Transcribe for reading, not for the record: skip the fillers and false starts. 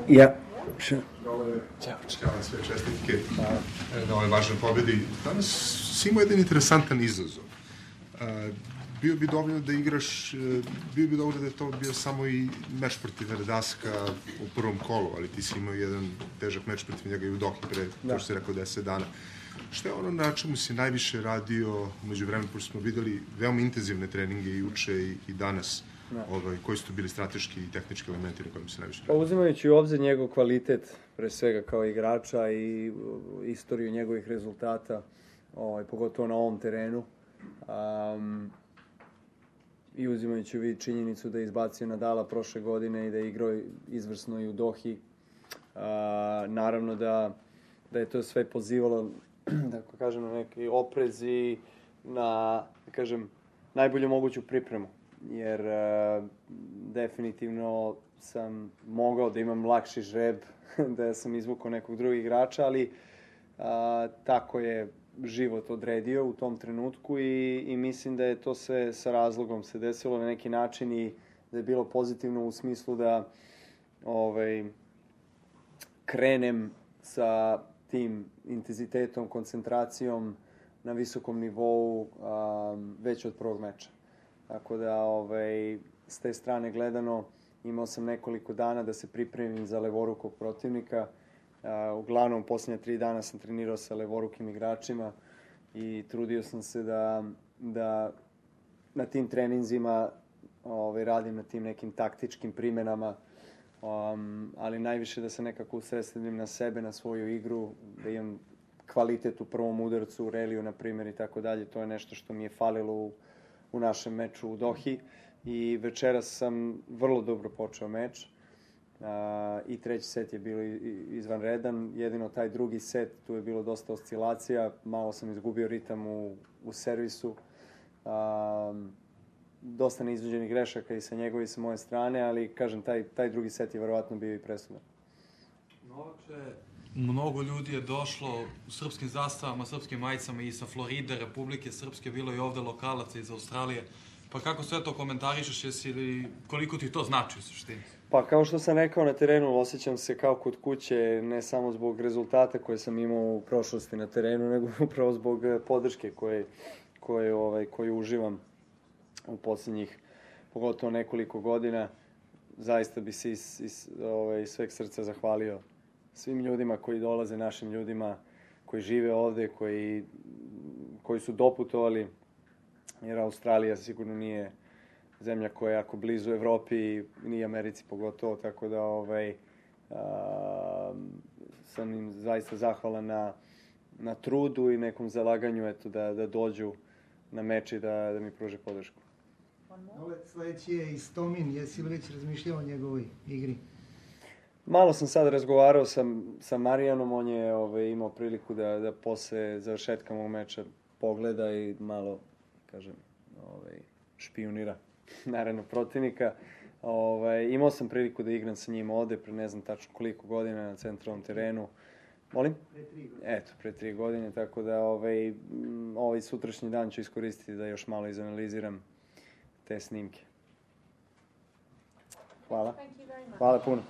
Yeah, sure. Ćao sve, čestitke na ovoj važnoj pobedi. Danas si imao jedan interesantan izazov. Bio bi dovoljno da igraš, bio bi dovoljno da je to bio samo i meč protiv Verdaska u prvom kolu, ali ti si imao jedan težak meč protiv njega i u Dohi pre, to što si rekao, 10 dana. Šta je ono na čemu si najviše radio umeđu vremena, pošto smo videli veoma intenzivne treninge i juče i danas? Koji su to bili strateški i tehnički elementi na kojim se najviše radio? Uzimajući u obzir njegov kvalitet, pre svega kao igrača i istoriju njegovih rezultata, pogotovo na ovom terenu, i uzimajući u vid činjenicu da je izbacio Nadala prošle godine i da je igrao izvrsno i u Dohi, naravno da je to sve pozivalo, da kažem, na neki oprez i na, da kažem, najbolju moguću pripremu. Jer definitivno sam mogao da imam lakši žreb da sam izvukao nekog drugog igrača, ali tako je život odredio u tom trenutku i mislim da je to sve sa razlogom se desilo na neki način i da je bilo pozitivno u smislu da krenem sa tim intenzitetom, koncentracijom na visokom nivou već od prvog meča. Tako da, s te strane gledano, imao sam nekoliko dana da se pripremim za levorukog protivnika. Uglavnom, posljednja 3 dana sam trenirao sa levorukim igračima i trudio sam se da na tim treninzima radim na tim nekim taktičkim primenama, ali najviše da se nekako usredsredim na sebe, na svoju igru, da imam kvalitet u prvom udarcu, u reliju, na primjer, i tako dalje. To je nešto što mi je falilo u našem meču u Dohi i večeras sam vrlo dobro počeo meč i treći set je bio izvanredan, jedino taj drugi set, tu je bilo dosta oscilacija, malo sam izgubio ritam u servisu, dosta neizvođenih grešaka i sa njegove i sa moje strane, ali kažem, taj drugi set je verovatno bio i presudan. Novače, mnogo ljudi je došlo u srpskim zastavama, srpskim majicama i sa Floride, Republike Srpske, bilo i ovde lokalaca iz Australije. Pa kako sve to komentarišeš, koliko ti to znači u suštini? Pa kao što sam rekao na terenu, osjećam se kao kod kuće, ne samo zbog rezultata koje sam imao u prošlosti na terenu, nego upravo zbog podrške koje uživam u posljednjih, pogotovo nekoliko godina. Zaista bi se iz sveg srca zahvalio svim ljudima koji dolaze, našim ljudima koji žive ovde, koji su doputovali, jer Australija sigurno nije zemlja koja je jako blizu Evropi i ni Americi pogotovo, tako da sam im zaista zahvalan na trudu i nekom zalaganju da dođu na meč i da mi pruže podršku. Sledeći je Istomin, jesi li već razmišljao o njegovoj igri? Malo sam sad razgovarao sa Marijanom, on je imao priliku da posle završetka mog meča pogleda i malo, kažem, špijunira naravno protivnika. Imao sam priliku da igram sa njim ovde pre ne znam tačno koliko godina na centralnom terenu. Molim? Pre 3 godine. Eto, pre 3 godine, tako da ovaj sutrašnji dan ću iskoristiti da još malo izanaliziram te snimke. Hvala. Hvala puno.